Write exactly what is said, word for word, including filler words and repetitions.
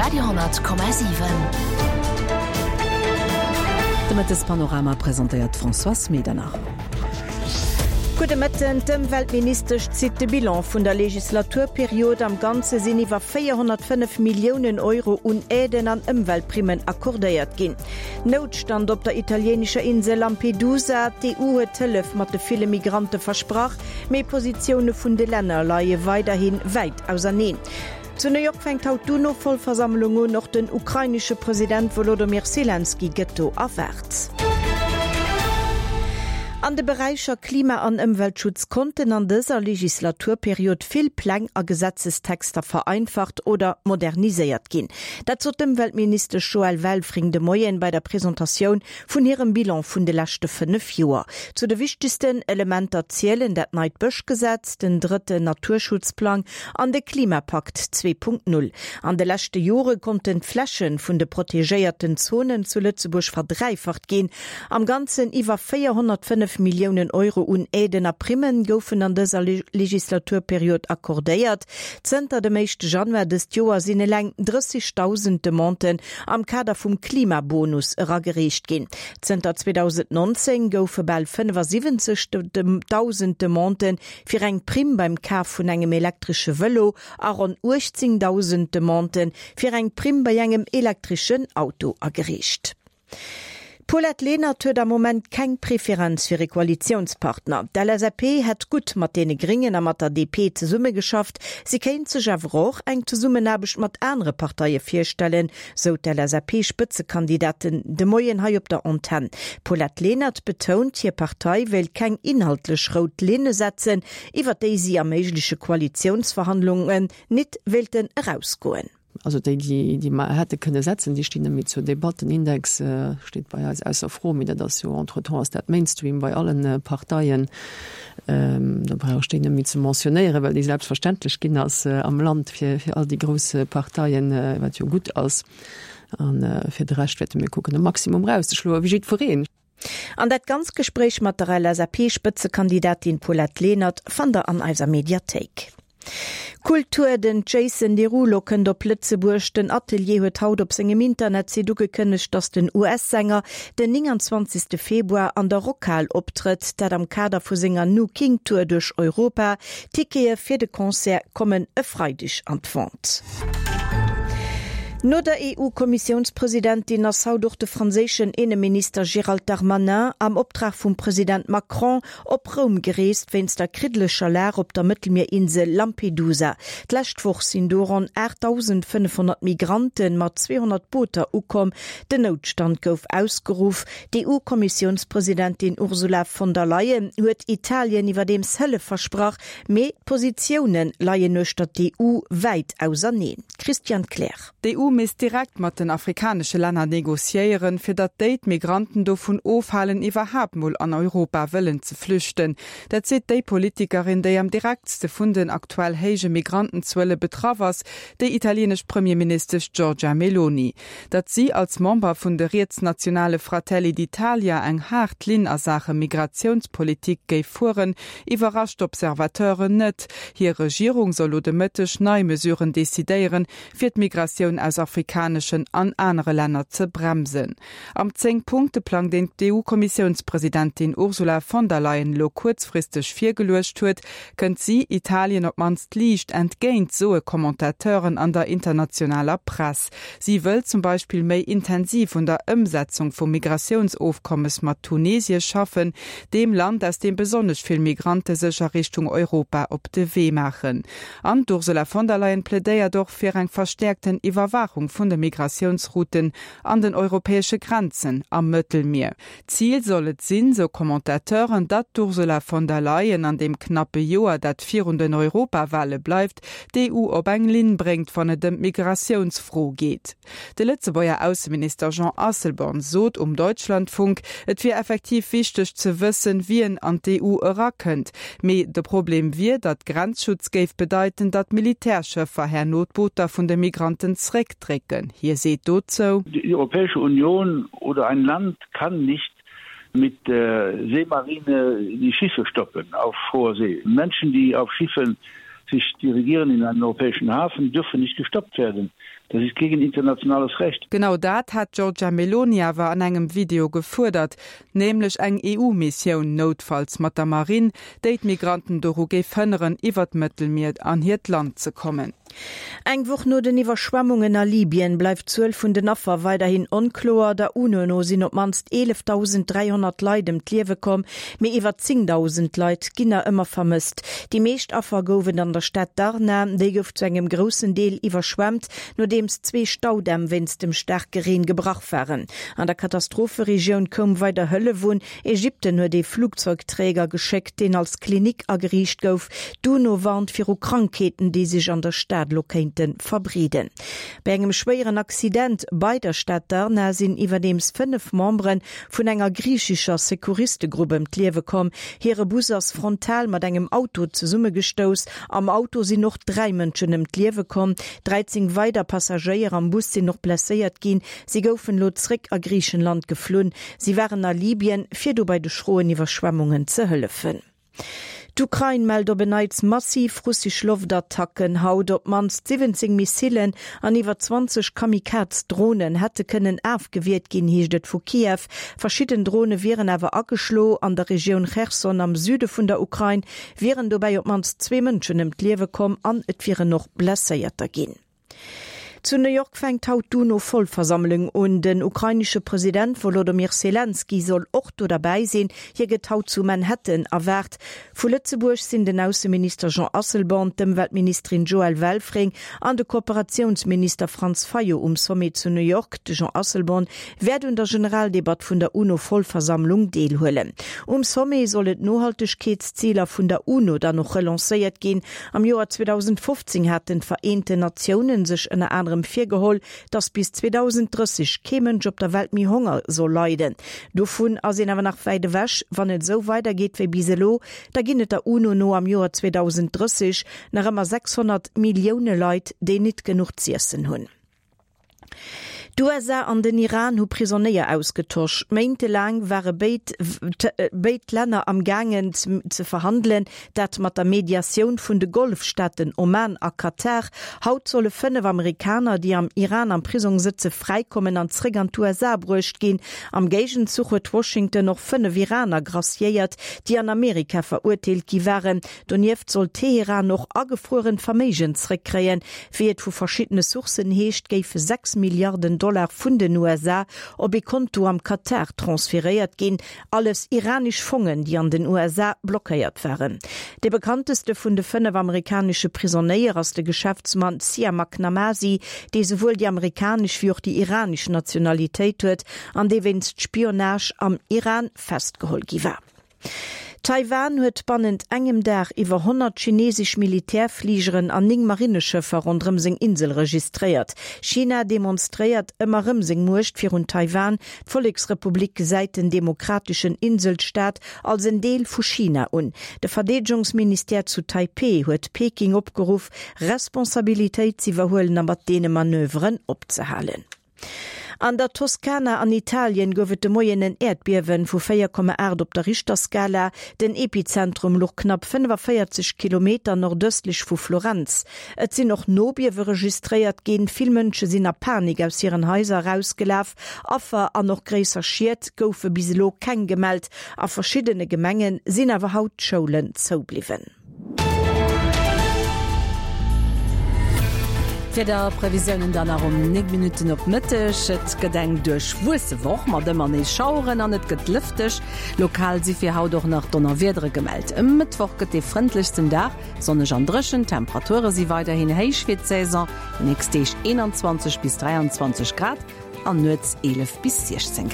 Radio honnert Komma siwen. De Mëttespanorama presentéiert d'Françoise Medernach. Gudde Mëtten, D'Ëmweltministesch zitt de Bilan vun der Legislaturperiod. Am Ganze sinn iwwer véierhonnertfënnef Milliounen Euro un Aiden an Ëmweltprimmen accordéiert ginn. Noutstand op der italieenescher Insel Lampedusa, D'EU huet Hëllef mat de ville Migrante versprach, mee d'Positioune vun de Länner leie weiderhi wäit auserneen. Zu New York fänkt haut d'UNO-Vollversammlung un, och den ukrainesche President Wolodomyr Selenskyj gëtt do erwaart. An de Beräicher Klima an Ëmweltschutz konnten an dëser Legislaturperiod vill Pläng a Gesetzestexter vereinfacht oder moderniséiert ginn. Dat sot d'Ëmweltministesch Joëlle Welfring de Moien bei der Presentatioun vun hirem Bilan vun de leschte fënnef Joer. Zu de wichtegsten Elementer zielen dat neit Bëschgesetz, den drëtten Naturschutzplang an de Klimapakt zwee Punkt null. An de leschte Jore konnten d'Fläche vun de protegéierten Zonen zu Lëtzebuerg verdräifacht ginn. Am Ganzen iwwer véierhonnertfënnef Milliounen Euro un Aiden a Primmen goufen an dëser Legislaturperiod accordéiert. Zënter dem éischte Januar dëst Joer sinn eleng drëssigdausend Demanden am Kader vum Klimabonus eragereecht ginn. Zënter zweedausendnonzéng goufe bal fënnefasiwwenzegdausend Demanden fir eng Primm beim Kaf vun engem elektresche Vëlo a ronn uechtzéngdausend Demanden fir eng Primm bei engem elektreschen Auto agereecht. D'Paulette Lenert huet am Moment keng Preferenz fir e Koalitiounspartner. D'L S A P hätt gutt mat deene Gréngen a mat der D P zesummegeschafft, si kéint sech awer och eng Zesummenaarbecht mat anere Parteie virstellen, sou d'L S A P-Spëtzekandidatin de Moien hei op der Antenn. D'Paulette Lenert betount, hir Partei wéilt keng inhaltlech rout Linne setzen, iwwer déi si a méigleche Koalitiounsverhandlungen nit wéilten erausgoen. Also déi, déi, déi mer hätte kënne setzen, déi stinn net méi zur Debatt. Den Index steet bei eis ausser Fro, mee dat ass jo entretemps ass dat Mainstream bei allen Parteien. Do brauch ech déi net méi ze mentionnéieren, well déi selbstverständlech ginn ass am Land fir, fir all déi grouss Parteien, wat jo gutt ass. An fir de Rescht wäerte mir kucken, de Maximum erauszeschloen, wéi jiddwereen. An dat ganz Gespréich mat der L S A P-Spëtzekandidatin Paulette Lenert fannt der an eiser Mediathéik. Kultur, Den Jason Derulo kënnt op Lëtzebuerg. Den Atelier huet haut op sengem Internetsite ugekënnegt, datt den U S-Sänger den nénganzwanzegste Februar an der Rockhal optrëtt, dat am Kader vu senger No King Tour duerch Europa. Tickete fir de Concert kommen e Freideg an d'Vente. No der E U-Kommissiounspresidentin ass haut och de franséischen Inneminister Gérald Darmanin am Optrag vum President Macron op Roum gereest wéinst der kriddlecher Lag op der Mëttelmierinsel Lampedusa. D'lescht Woch sinn do ronn aachtdausendfënnefhonnert Migrante mat zweehonnert Booter ukomm. Den Noutstand gouf ausgeruff. D'E U-Kommissiounspresidentin Ursula von der Leyen huet Italien iwwerdeems Hëllef versprach, mee d'Positioune leien uechter d'E U wäit auserneen. Christian Kleer. D'E U misst direkt mat den afrikanesche Länner negociéieren, fir datt déi d'Migranten dovun ofhalen, iwwerhaapt mol an Europa wëllen ze flüchten. Dat seet déi Politikerin, déi am direktste vun den aktuell héije Migrantenzuele betraff ass, déi italienesch Premierministesch Giorgia Meloni. Datt si als Member vun de rietsnationale Fratelli d'Italia eng haart Linn a Saache Migratiounspolitik géif fueren, iwwerrascht d'Observateuren net. Hir Regierung soll lo de Mëtteg nei Mesuren decidéieren, fir d'Migratioun aus afrikaneschen an anere Länner ze bremsen. Am Zéng-Punkte-Plang, deen d'E U-Kommissiounspresidentin Ursula von der Leyen lo kuerzfristeg virgeluecht huet, kënnt si Italien op d'mannst liicht entgéint, soe Commentateuren an der internationaler Press. Si wëll zum Beispill méi intensiv un der Ëmsetzung vum Migratiounsofkommes mat Tunesie schaffen, deem Land, aus deem besonnesch vill Migrante sech a Richtung Europa op de Wee maachen. An d'Ursula von der Leyen plädéiert och fir eng verstäerkten Iwwerwaachung vun de Migratiounsrouten an den europäesche Grenzen am Mëttelmier. Zil soll et sinn, sou Commentateuren, datt d'Ursula von der Leyen an deem knappe Joer, dat virun den Europawale bleift, d'E U op eng Linn bréngt, wann et ëm d'Migratiounsfro geet. De Lëtzebuerger Ausseminister Jean Asselborn sot um Deutschlandfunk, et wier effektiv wichteg ze wëssen, wien an d'E U erakënnt. Mee de Problem wier, datt Grenzschutz géif bedeiten, datt Militärschëffer herno d'Booter vun de Migranten zréckdrécken. Hie seet dozou: Die Europäische Union oder ein Land kann nicht mit der Seemarine die Schiffe stoppen auf hoher See. Menschen, die auf Schiffen sich dirigieren in einen europäischen Hafen, dürfen nicht gestoppt werden. Das ist gegen internationales Recht. Genau dat hat Giorgia Meloni awer an engem Video gefuerdert, nämlech eng EU-Missioun noutfalls mat der Marinn, déi d'Migranten doru géif hënneren, iwwer d'Mëttelmier an hiert Land ze kommen. Eng Woch no den Iwwerschwemmungen a Libyen bleift d'Zuel vun den Affer weiderhin onkloer. Der UNO no sinn op d'mannst eelefdausend dräihonnert Leit ëm d'Liewe komm, mee iwwer zéngdausend Leit ginn nach ëmmer vermësst. Déi meescht Affer gouf et an der Stad Darna, déi gouf zu engem groussen Deel iwwerschwemmt, nodeems zwee Staudämm wéinst dem staarke Reen gebrach waren. An der Katastropheregioun koum weider Hëllef un. Ägypten huet ee Flugzeugträger geschéckt, deen als Klinik ageriicht gouf. D'UNO warnt viru Krankheeten, déi sech an der Stad elo kéinte verbreeden. Bei engem schwéieren Accident bei der Stad Darna sinn iwwerdeems fënnef Membere vun enger griichescher Secouristegrupp ëm d'Liewe komm. Hire Bus ass frontal mat engem Auto zesummegestouss. Am Auto sinn och dräi Mënschen ëm d'Liewe komm. dräizéng weider Passagéier am Bus sinn och blesséiert ginn. Si goufen elo zréck a Griichenland geflunn. Si waren a Libyen, fir do bei de schroen Iwwerschwemmungen ze hëllefen. D'Ukrain mellt op en Neits massiv russesch Loftattacken haut. Op d'mannst siwwenzéng Missilen an iwwer zwanzeg Kamikaze-Dronen hätte kënnen afgewiert ginn, heescht et vu Kiew. Verschidden Drone wieren awer ageschloen. An der Regioun Cherson am Süde vun der Ukrain wieren dobäi op d'mannst zwee Mënschen ëm d'Liewe komm an et wieren och Blesséierter ginn. Zu New York fänkt haut d'UNO-Vollversammlung un. Den ukrainesche President Wolodymyr Selenskyj soll och do derbäi sinn. Hie gëtt haut zu Manhattan erwaart. Vu Lëtzebuerg sinn den Ausseminister Jean Asselborn, d'Ëmweltministerin Joëlle Welfring an de Kooperatiounsminister Franz Fayot um Sommet zu New York. De Jean Asselborn wäert un der Generaldebatt vun der UNO-Vollversammlung deelhuelen. Um Sommet sollen d'Nohaltegkeetsziler vun der UNO dann och relancéiert ginn. Am Joer zweedausendfofzéng haten d'Vereenten Natiounen sech ënner anerem virgeholl, datt bis zweedausend drësseg kee Mënsch op der Welt méi Honger soll leiden. Dovun ass een awer nach wäit ewech. Wann et esou weidergeet wéi bis elo, da ginn et der UNO no am Joer zweedausend drësseg nach ëmmer sechshonnert Millioune Leit, déi nit genuch z'iessen hunn. D'USA an den Iran hu Prisonéier ausgetosch. Méintelaang ware béid béid Länner am gaangen ze verhandelen, dat mat der Mediatioun vun de Golfstaaten Oman a Katar. Haut solle fënnef Amerikaner, déi am Iran am Prisong sëtze fräikommen an zréck an d'USA bruecht ginn. Am Géigenzuch huet Washington och fënnef Iraner graciéiert, déi an Amerika verurteelt gi waren. Donieft soll Teheran och agefruerent Verméigen zréckkréien. Wéi et vu verschiddene Sourcen heescht, géife sechs Milliarden Dollar vun den U S A op ee Konto am Katar transferéiert ginn, alles iranesch Fongen, déi an den U S A blockéiert waren. De bekannteste vun de fënnef amerikanesche Prisonéier ass de Geschäftsmann Siamak Namazi, dee souwuel déi amerikanesch wéi och déi iranesch Nationalitéit huet an dee wéinst Spionage am Iran festgeholl gi war. Taiwan huet bannent engem Dag iwwer honnert chinesesch Militärfligeren an néng Marineschëffer ronderëm seng Insel registréiert. China demonstréiert ëmmer rëm seng Muecht virun Taiwan. D'Volleksrepublik gesäit den demokrateschen Inselstaat als en Deel vu China un. De Verdeedegungsministère zu Taipeh huet Peking opgeruff, Responsabilitéit z'iwwerhuelen a mat deene Manöveren opzehalen. An der Toskana an Italien gouf et de Moien en Äerdbiewen vu véier Komma aacht op der Richterskala. Den Epizentrum louch knapp fënnefavéierzeg Kilometer nordëstlech vu Florenz. Et sinn och Nobiewe registréiert ginn. Vill Mënsche sinn a Panik aus hiren Haiser erausgelaf. Affer an och gréisser Schied goufe bis elo keng gemellt. A verschiddene Gemenge sinn awer haut d'Schoulen zoubliwwen. D'Wiederprevisiounen dann nach um néng Minutten op Mëtteg. Et gëtt eng duerchwuesse Woch mat ëmmer nees Schaueren an et gëtt lëfteg. Lokal si fir haut och nach Donnerwiedere gemellt. E Mëttwoch gëtt dee frëndlechsten Dag, sonneg an dréchen. D'Temperature si weiderhin héich fir d'Saison, déi nächst Deeg eenanzwanzeg bis dräianzwanzeg Grad an nuets eelef bis siechzéng Grad.